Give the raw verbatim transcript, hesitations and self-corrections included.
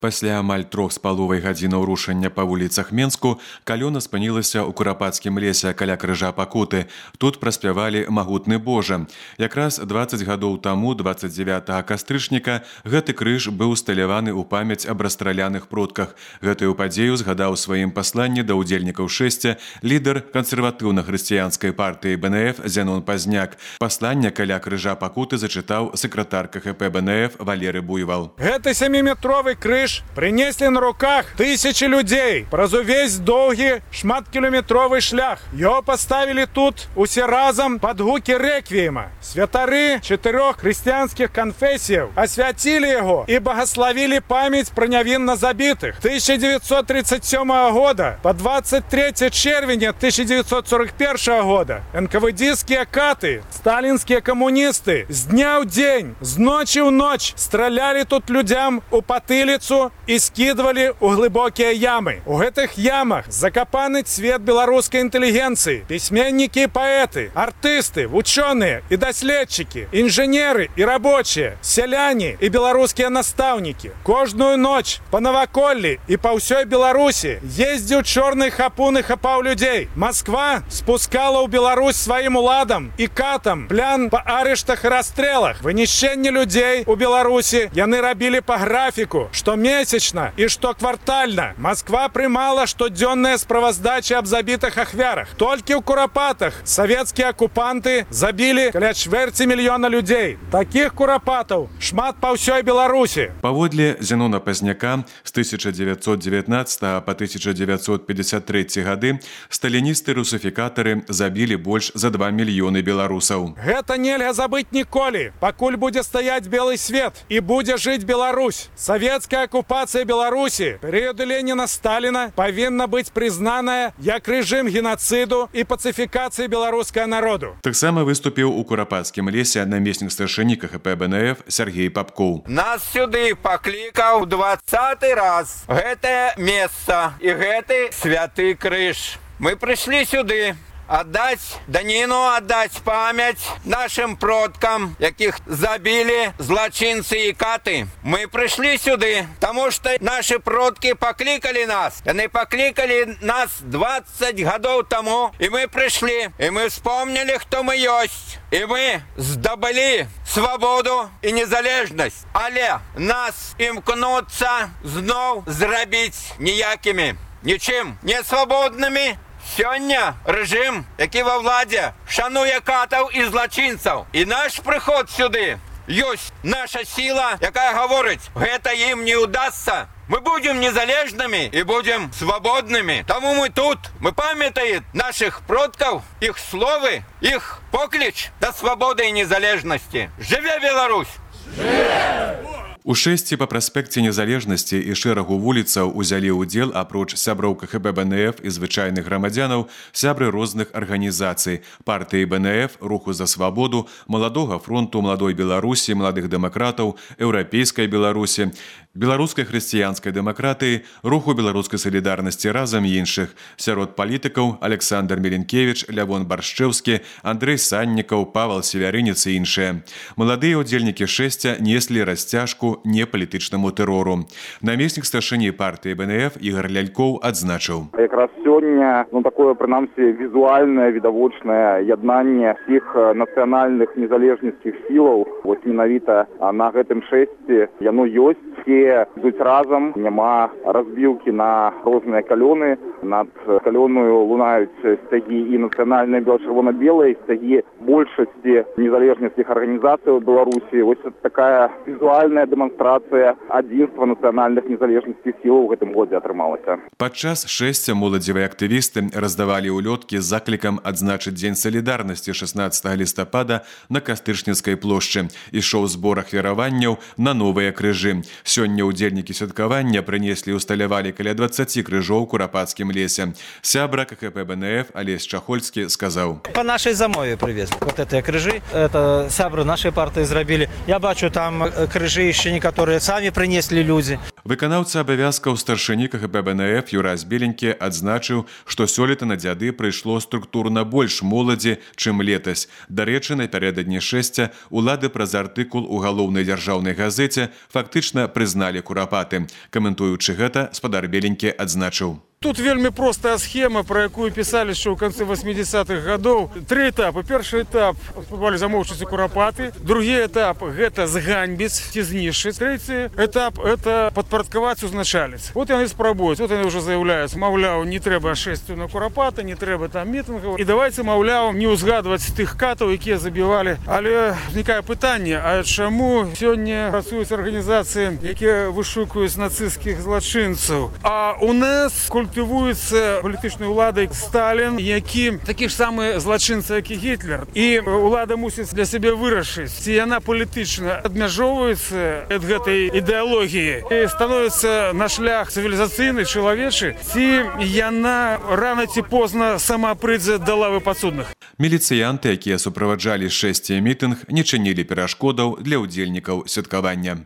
Пасля амаль трох з паловай гадзінаў рушання па вуліцах Менску калёна спынілася ў Курапацкім лесе каля крыжа Пакуты. Тут праспявалі «Магутны Божа». Якраз дваццаць гадоў таму, дваццаць дзевятага кастрычніка, гэты крыж быў усталяваны ў памяць аб расстраляных продках. Гэтую падзею згадаў у сваім пасланні да ўдзельнікаў шэсця лідар кансерватыўна-хрысціянскай партыі Бэ Эн Эф Зянон Пазняк. Пасланне каля крыжа Пакуты зачытаў сакратар Ка Ха Пэ Бэ Эн Эф Валерый Буйвал. Гэты сяміметровы крыж принесли на руках тысячи людей праз увесь доўгі шматкілометровы шлях. Его поставили тут усе разом под гуки реквиема. Святары четырех христианских конфессий освятили его и благословили память про невинно забитых. тысяча девятьсот тридцать седьмого года по двадцать третье червеня тысяча девятьсот сорок первого года эн ка вэ дэские каты, сталинские коммунисты с дня в день, с ночи в ночь стреляли тут людям у потылицу и скидывали у глубокие ямы. У гэтых ямах закопаны цвет белорусской интеллигенции, письменники и поэты, артисты, ученые и доследчики, инженеры и рабочие, селяне и белорусские наставники. Каждую ночь по Новоколле и по всей Беларуси ездил черный хапун и хапал людей. Москва спускала у Беларусь своим уладам и катам плян по арештах и расстрелах. Вынищение людей у Беларуси яны рабили по графику, что месячно и что квартально. Москва прымала штодзённыя справаздачи об забитых ахвярах. Только у Курапатах советские оккупанты забили каля чвэрці мільёна людей. Таких курапатаў шмат по всей Беларуси. Паводле Зянона Пазняка, з тысяча девятьсот девятнадцатого по тысяча девятьсот пятьдесят третий гады сталіністы-русифікатары забили больш за два мільёны беларусаў. Гэта нельга забыть ніколі, пакуль будзе стаять белый свет и будзе жить Беларусь. Советская оккупация Беларуси периода Ленина-Сталина повинна быть признаная як режим геноциду и пацификации белорусского народу. Таксама выступіў у Курапацкім лесе намеснік старшыні Ка Ха Пэ Бэ Эн Эф Сергей Попкоў. Нас сюды паклікаў двадцаты раз гэтае месца і гэты святы крыж. Мы прыйшлі сюды отдать данину, отдать память нашим продкам, яких забили злочинцы и каты. Мы пришли сюда, потому что наши продки покликали нас. Они покликали нас двадцать годов тому, и мы пришли, и мы вспомнили, кто мы есть. И мы здобыли свободу и незалежность. Але нас імкнуться знов зробити ніякими, нічим не свободними. Сёння режим, який во владі, шанує катів і злочинців. І наш приход сюди есть наша сила, яка говорить, гэта им не удастся. Мы будем незалежными и будем свободными. Тому мы тут, мы памятаем наших продков, их словы, их поклич до свободы и незалежности. Живе Беларусь! Живе! У шэсці па праспекце незалежнасці і шэрагу вуліцаў узялі ўдзел, апроч сяброў Ка Ха Пэ Бэ Эн Эф і звычайных грамадзянаў, сябры розных арганізацый, партыі Бэ Эн Эф, Руху за свабоду, Маладога фронту, Маладой Беларусі, Маладых дэмакратаў, Еўрапейскай Беларусі, Беларускай хрысціянскай дэмакратыі, Руху беларускай салідарнасці разам і іншых. Сярод палітыкаў Александр Меленкевич, Лявон Баршчэўскі, Андрэй Саннікаў, Павел Севярынец і іншыя. Маладыя ўдзельнікі шэсця неслі расцяжку непалітычнаму тэрору. Намеснік старшыні партыі Бэ Эн Эф Ігор Лялькоў адзначыў. Якраз сёння, ну такое, прынамсі, візуальнае, відавочнае яднанне всіх нацыянальных незалежніцкіх сілаў, вось менавіта на гэтым шэсці яно ёсць. Все ідуць разам, няма разбілкі на розныя калёны. Над калёною лунаюць сцягі і нацыянальныя бело-чырвона-белыя, сцягі большасці незалежніцкіх арганізацый у Беларусі. Вось такая візуальная дэманстрацыя адзінства нацыянальных незалежніцкіх сілаў у гэтым годзе атрымалася. Падчас шэсця моладзевыя актывісты раздавалі ўлёткі з заклікам адзначыць Дзень салідарнасці шаснаццатага лістапада на Кастрычніцкай плошчы. Ішоў збор ахвяраванняў на новыя крыжы. Сёння ўдзельнікі святкавання прынеслі і усталявалі каля дваццаці крыжоў у Курапацкім лесе. Сябра Ка Ха Пэ Бэ Эн Эф Алесь Чахольскі сказаў. По нашей замове привезли. есть вот эти крыжи, это сябры нашей партии сделали. Я бачу там крыжи еще некоторые сами принесли люди. Выканаўца абавязкаў старшыні КГБ БНФ Юрась Беленькі адзначыў, што сёлета на дзяды прыйшло структурна больш моладзі, чым летась. Дарэчы, напярэдадні шэсця улады праз артыкул у галоўнай дзяржаўнай газеце фактычна прызналі курапаты. Каментуючы гэта, спадар Беленькі адзначыў. Тут вельмі простая схема, про якую писали еще в конце восьмидесятых годов. Три этапы. Первый этап – замовчиці курапаты. Другий этап – это зганьбіць, ці знішчыць. Третий этап – это падпарадкаваць узначаліць. Вот яны спрабуюць. Вот они уже заявляюць, маўляў, не трэба шэсцю на курапаты, не трэба там мітынгаў. І давайте, маўляў, не ўзгадваць тых катаў, якія забівалі. Але ўзнікае пытанне, а чаму сёння працуюць арганізацыі, якія вышукаюць нацысцкіх злачынцаў? А у нас культывуецца палітычнай уладай Сталін, які такі ж самы злачынца, як і Гітлер. І улада мусіць для сябе вырашыць, ці яна палітычна адмяжоўваецца ад гэтай ідэалогіі і становіцца на шлях цывілізацыйны, чалавечы, ці яна рана ці позна сама прыйдзе да лавы падсудных. Міліцыянты, якія суправаджалі шэсці мітынг, не чынілі перашкодаў для ўдзельнікаў святкавання.